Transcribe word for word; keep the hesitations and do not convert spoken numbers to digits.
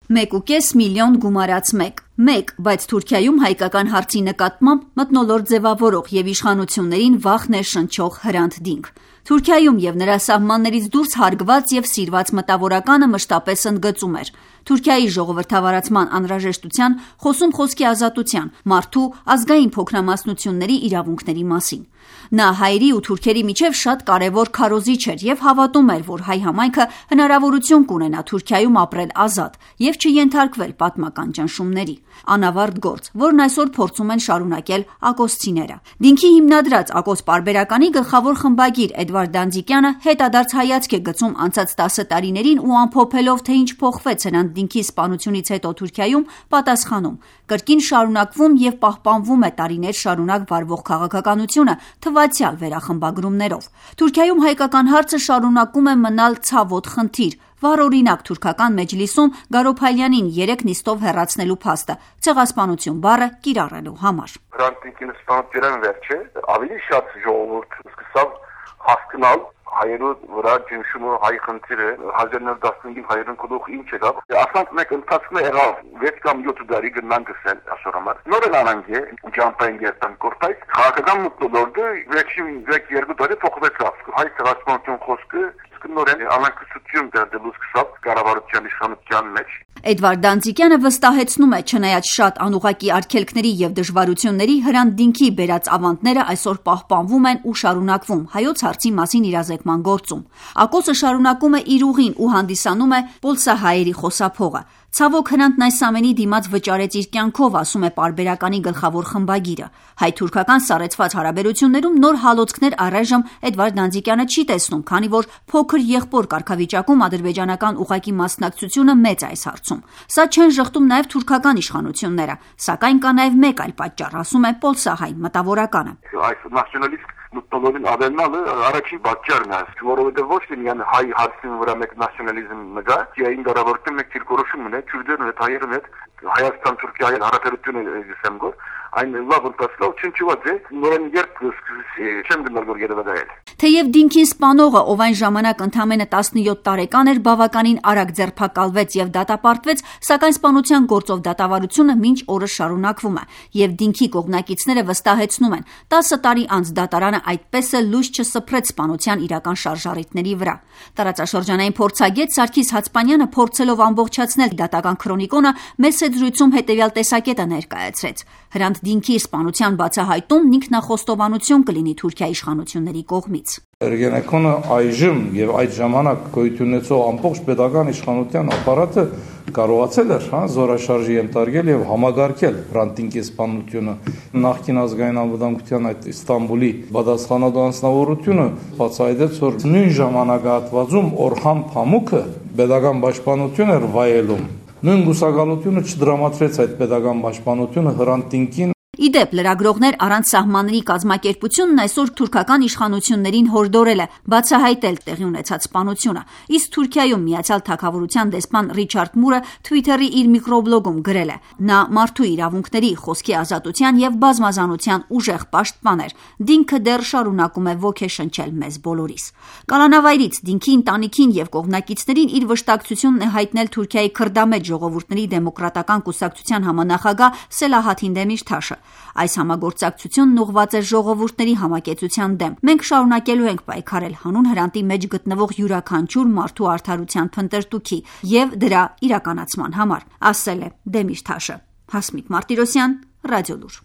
մեկ ու կես միլիոն գումարած մեկ։ Մեկ, բայց Թուրքիայում հայկական հարցի նկատմամբ մթնոլորտ ձևավորող և իշխանություններին վախ ներշնչող Հրանտ Դինք։ Թուրքիայում և նրա սահմաններից դուրս հարգված և սիրված մտավորականը մշտապես ընդգծում էր Թուրքիայի ժողովրդավարացման անհրաժեշտության, խոսում խոսքի ազատության, մարդու, ազգային փոքրամասնությունների իրավունքների մասին։ Նա հայերի ու թուրքերի միջև շատ կարևոր քարոզիչ էր և հավատում էր, որ հայ համայնքը հնարավորություն կունենա Թուրքիայում ապրել ազատ և չենթարկվել պատմական ճնշումների։ Անավարտ գործ, որն այսօր փորձում են շարունակել ակոսցիները։ Դինքի հիմնադրած Ակոս պարբերականի գլխավոր խմբագիր Էդվարդ Դանձիկյանը հետադարձ հայացք է գցում անցած տասը տարիներին ու ամփոփելով, թե ինչ փոխվեց Հրանտ Դինքի սպանությունից հետո Թուրքիայում, պատասխանում. կրկին շարունակվում և պահպանվում է տարիներ շարունակ վարվող քաղաքականությունը թվացյալ վերախմբագրումներով։ Թուրքիայում հայկական հարցը շարունակում է մնալ ցավոտ խնդիր, վառօրինակ թուրքական մեջլիսում Գարոփալյանին երեք նիստով հեռացնելու փաստը ցեղասպանություն բառը կիրառելու համար։ Հրանտ Դինքին սպանության վերջը ավելի շատ ժողովուրդ սկսավ հասկանալ հայերու վրա ջնշումը, հայ խնդիրը, հազար նոր տասնհինգին հայերեն կողմ ինչ եղավ։ Ասանք մեկ ընթացքում է եղավ վեց կամ յոթ տարի գնան գսել այսօր համար։ Նոր են անանգ է, ջամպային երտան կորտայց, քաղաքական մտնոլորտը վերջին երկու տարի փոխվեցավ։ Հայ ցեղասպանություն խոսքը նորեն անակնկալություն դարձելու սկսավ կառավարության իշխանության մեջ։ Էդվարդ Դանձիկյանը վստահեցնում է, չնայած շատ անուղղակի արգելքների և դժվարությունների, Հրանտ Դինքի բերած ավանդները այսօր պահպանվում են ու շարունակվում հայոց հարցի մասին իրազեկման գործում։ Ակոսը շարունակում է իր ուղին ու հանդիսանում է պոլսահայերի խոսափողը։ Ցավոք Հրանտն այս ամենի դիմաց վճարեց իր կյանքով, ասում է պարբերականի գլխավոր խմբագիրը։ Հայ-թուրքական սառեցված հարաբերություններում նոր հալոցքներ առայժմ Էդվարդ Դանձիկյանը չի տեսնում, քանի որ փոքր եղբոր կարգավիճակում ադրբեջանական ուղղակի մասնակցությունը մեծ է այս հարցում։ Սա չեն ժխտում նաև թուրքական իշխանությունները, սակայն կա նաև մեկ այլ պատճառ, ասում է պոլսահայ մտավորականը։ Այս նացիոնալիստ մտնոլորտին ավելնալը առաջին պատճառն է, որովհետև ոչ թե միայն հայ հարցի վրա մեկ նացիոնալիզմ մգա, այն դարավորտը մեկ դիրքորոշում ունի, քուրդերն հետ, հայերն հետ, Հայաստան-Թուրքիա հարաբերությունը գսեմ գոր, այն լավ ընթացավ, չնչված է, նորեն երբ չեմ գնալ որ երևակայել։ Թեև Դինքին սպանողը, ով այն ժամանակ ընդամենը տասնյոթ տարեկան էր, բավականին արագ ձերբակալվեց և դատապարտվեց, սակայն սպանության գործով դատավարությունը մինչ օրս շարունակվում է, և Դինքի կողմնակիցները վստահեցնում են, տասը տարի անց դատարանը այդպես էլ լույս չսփռեց սպանության իրական շարժառիթների վրա։ Տարածաշրջանային փորձագետ Սարգիս Հացպանյանը, փորձելով ամբողջացնել դատական քրոնիկոնը, մեծ զրույցում հետևյալ տեսակետը ներկայացրեց. Հրանտ Դինքի սպանության բացահայտումն ինքնախոստովանություն կլինի Թուրքիայի իշխանությունների կողմից։ Երգենեքոնը այժմ եւ այդ ժամանակ գոյություն ունեցող ամբողջ պետական իշխանության ապարատը կարողացել էր հա զորաշարժի ենթարկել եւ համագարկել Հրանտ Դինքի սպանությունը։ Նախկին ազգային անվտանգության այդ Իստանբուլի պատասխանատու անձնավորությունը բացահայտեց, որ նույն ժամանակահատվածում Օրհան Փամուկը պետական պաշտպանություն էր վայելում։ Նույն գուսակալությունը չդրամատրեց այդ պետական պաշտպանությունը Հրանտ Դինքին։ Իդեպ լրագրողներ առանց սահմանների կազմակերպությունն այսօր թուրքական իշխանություններին հորդորել է բացահայտել տեղի ունեցած սպանությունը, իսկ Թուրքիայում Միացյալ Թագավորության դեսպան Ռիչարդ Մուրը Թվիթերի իր միկրոբլոգում գրել է. նա մարդու իրավունքների, խոսքի ազատության և բազմազանության ուժեղ պաշտպան էր, Դինքը դեռ շարունակում է ոգեշնչել մեզ բոլորիս։ Կալանավայրից Դինքի ընտանիքին և կողմնակիցներին իր վշտակցությունն է հայտնել Թուրքիայի քրդամետ ժողովուրդների դեմոկրատական կուսակցության համանախագահ Սելահաթին Դեմիրթաշը։ Այս համագործակցությունն ուղղված է ժողովուրդների համակեցության դեմ։ Մենք շարունակելու ենք պայքարել հանուն Հրանտի մեջ գտնվող յուրաքանչյուր մարդու արդարության փնտրտուքի և դրա իրականացման համար, ասել է Դեմիրթաշը։ Հասմիկ Մարտիրոսյան, Ռադիոլուր։